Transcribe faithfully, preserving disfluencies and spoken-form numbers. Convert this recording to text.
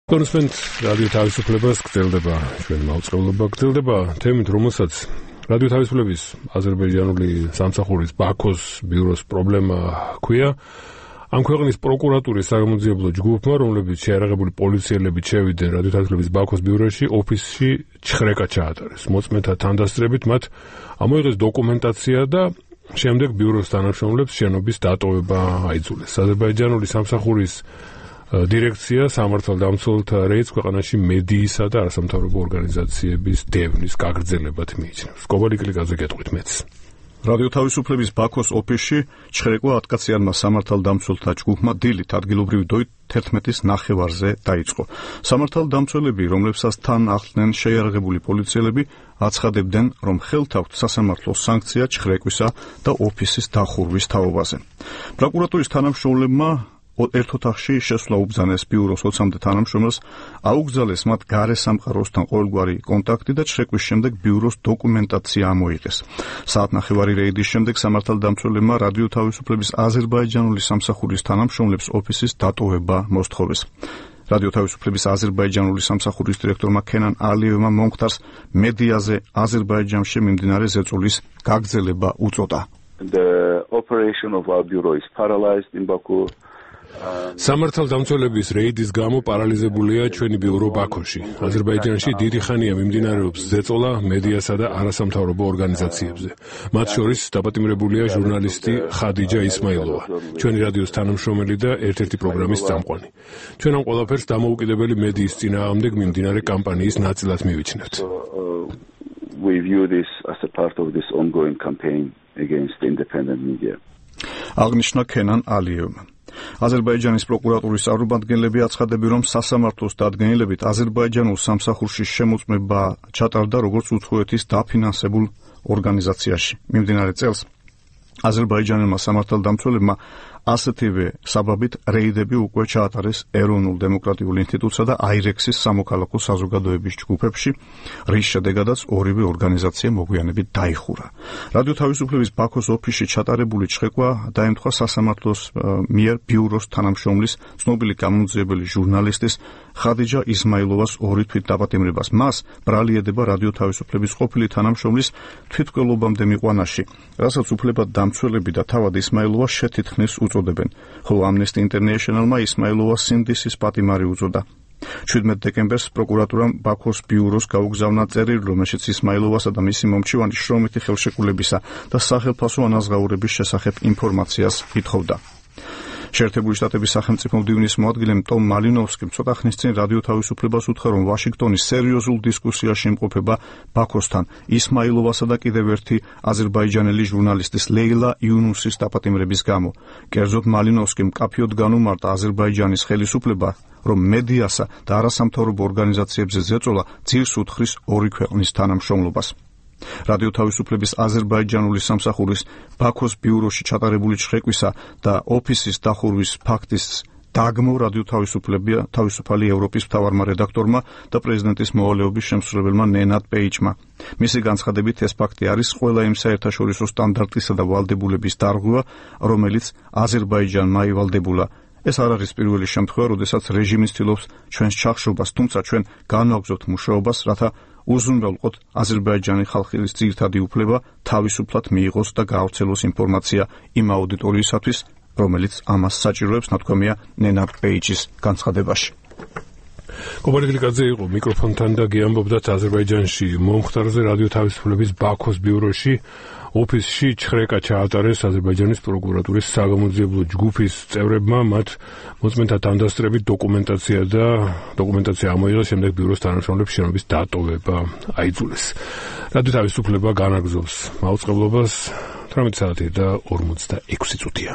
კონსპენთ რადიო თავისუფლებას გრძელდება ჩვენ მაუწყებლობა გრძელდება თემით რომელსაც რადიო თავისუფლების აზერბაიჯანული სამსახურის ბაქოს ბიუროს პრობლემა ჰქვია ამ ქვეყნის პროკურატურის საგამოძიებელო ჯგუფმა რომლებიც შეიარაღებული პოლიციელებით შევიდნენ რადიო თავისუფლების ბაქოს ბიუროში ოფისში ჩხრეკა ჩაატარეს მოწმეთა თანდასწრებით მათ ამოიღეს დოკუმენტაცია და შემდეგ ბიუროს თანამშრომლებს შენობის დატოვება აიძულეს აზერბაიჯანული სამსახურის დირექცია სამართალდამცველთა რეიდს ქვეყანაში მედიისა და არასამთავრობო ორგანიზაციების დევნის გაგრძელებად მიიჩნევს. კობალი კლიკაზე გეტყვით მეც. რადიო თავისუფლების ბაქოს ოფისში ჩხრეკვა ათკაციანმა სამართალდამცველთა ჯგუფმა დილით ადგილობრივი დროით თერთმეტის ნახევარზე დაიწყო. სამართალდამცველები, რომლებსაც თან ახლდნენ შეიარაღებული პოლიციელები, აცხადებდნენ, რომ ხელთ აქვთ სასამართლო სანქცია ჩხრეკვისა და ოფისის დახურვის თაობაზე. პროკურატურის თანამშრომლებმა ერთ ოთახში შესვლა უბრძანეს ბიუროს ოცამდე თანამშრომელს, აუგზავნეს მათ გარე სამყაროსთან ყოველგვარი კონტაქტი და ჩხრეკვის შემდეგ ბიუროს დოკუმენტაცია ამოიღეს. საათნახევარი რეიდის შემდეგ სამართალდამცველებმა რადიო თავისუფლების აზერბაიჯანული სამსახურის თანამშრომლებს ოფისის დატოვება მოსთხოვეს. რადიო თავისუფლების აზერბაიჯანული სამსახურის დირექტორმა ქენან ალიევმა მომხდარს მედიაზე აზერბაიჯანში მიმდინარე ზეწოლის გაგრძელება უწოდა. The operation of our bureau is paralyzed in Baku. სამართალდამცველების რეიდის გამო პარალიზებულია ჩვენი ბიურო ბაქოში. აზერბაიჯანში დიდი ხანია მიმდინარეობს ზეწოლა მედიასა და არასამთავრობო ორგანიზაციებზე. მათ შორის დაპატიმრებულია ჟურნალისტი ხადიჯა ისმაილოვა, ჩვენი რადიოს თანამშრომელი და ერთ-ერთი პროგრამის წამყვანი. ჩვენ ამ ყველაფერს დამოუკიდებელი მედიის წინააღმდეგ მიმდინარე კამპანიის ნაწილად მივიჩნევთ. We view this as a part of this ongoing campaign against independent media. აღნიშნა ქენან ალიევმა. აზერბაიჯანის პროკურატურის წარმომადგენლები აცხადებენ, რომ სასამართლოს დადგენილებით აზერბაიჯანულ სამსახურში შემოწმება ჩატარდა როგორც უცხოეთის დაფინანსებულ ორგანიზაციაში. მიმდინარე წელს აზერბაიჯანელმა სამართალდამცველებმა ასეთივე საბაბით რეიდები უკვე ჩაატარეს ეროვნულ დემოკრატიულ ინსტიტუტსა და აირექსის სამოქალაქო საზოგადოების ჯგუფებში, რის შედეგადაც ორივე ორგანიზაცია მოგვიანებით დაიხურა. რადიო თავისუფლების ბაქოს ოფისში ჩატარებული ჩხრეკვა დაემთხვა სასამართლოს მიერ ბიუროს თანამშრომლის, ცნობილი გამომძიებელი ჟურნალისტის ხადიჯა ისმაილოვას ორი თვით დაპატიმრებას. მას ბრალი ედება რადიო თავისუფლების ყოფილი თანამშრომლის თვითმკვლელობამდე მიყვანაში, რასაც უფლებად დამცველები და თავად ისმაილოვა შეთითხნის უწოდებენ, ხოლო Amnesty International-მა ისმაილოვას სინდისის პატიმარი უწოდა. შვიდმეტ დეკემბერს პროკურატურამ ბაქოს ბიუროს გაუგზავნა წერილი, რომელშიც ისმაილოვასა და მისი მომჩივანის შრომითი ხელშეკრულებისა და სახელფასო ანაზღაურების შესახებ ინფორმაციას ითხოვდა. შეერთებული შტატების სახელმწიფო მდივნის მოადგილემ ტომ მალინოვსკიმ ცოტა ხნის წინ რადიო თავისუფლებას უთხრა, რომ ვაშინგტონი სერიოზულ დისკუსიაში იმყოფება ბაქოსთან ისმაილოვასა და კიდევ ერთი აზერბაიჯანელი ჟურნალისტის ლეილა იუნუსის დაპატიმრების გამო. კერძოდ მალინოვსკიმ მკაფიოდ განუმარტა აზერბაიჯანის ხელისუფლება, რომ მედიასა და არასამთავრობო ორგანიზაციებზე ზეწოლა ძირს უთხრის ორი ქვეყნის თანამშრომლობას. რადიო თავისუფლების აზერბაიჯანული სამსახურის ბაქოს ბიუროში ჩატარებული ჩხრეკვისა და ოფისის დახურვის ფაქტის დაგმო რადიო თავისუფლებია თავისუფალი ევროპის მთავარმა რედაქტორმა და პრეზიდენტის მოვალეობის შემსრულებელმა ნენად პეიჩმა. მისი განცხადებით ეს ფაქტი არის ყველა იმ საერთაშორისო სტანდარტისა და ვალდებულების დარღვევა, რომელიც აზერბაიჯანმა ივალდებულა. ეს არ არის პირველი შემთხვევა, როდესაც რეჟიმი ცდილობს ჩვენს ჩახშობას, თუმცა ჩვენ განვაგრძობთ მუშაობას, რათა უზრუნველყოთ აზერბაიჯანი ხალხის ძირითადი უფლება თავისუფლად მიიღოს და გაავრცელოს ინფორმაცია იმ აუდიტორიისათვის, რომელიც ამას საჭიროებს, ნათქვამია ნენად პეიჩის განცხადებაში. კობალი კლიკაძე იყო მიკროფონთან და გეამბობდათ აზერბაიჯანში მომხდარზე რადიო თავისუფლების ბაქოს ბიუროში ოფისში ჩხრეკა ჩაატარეს აზერბაიჯანის პროკურატურის საგამოძიებელო ჯგუფის წევრებმა, მათ მოწმეთა თანდასწრებით დოკუმენტაცია და დოკუმენტაცია ამოიღეს, შემდეგ ბიუროს თანამშრომლებს შენობის დატოვება აიძულეს. რადიო თავისუფლება განაგრძობს მაუწყებლობას თვრამეტი საათი და ორმოცდაექვსი წუთია.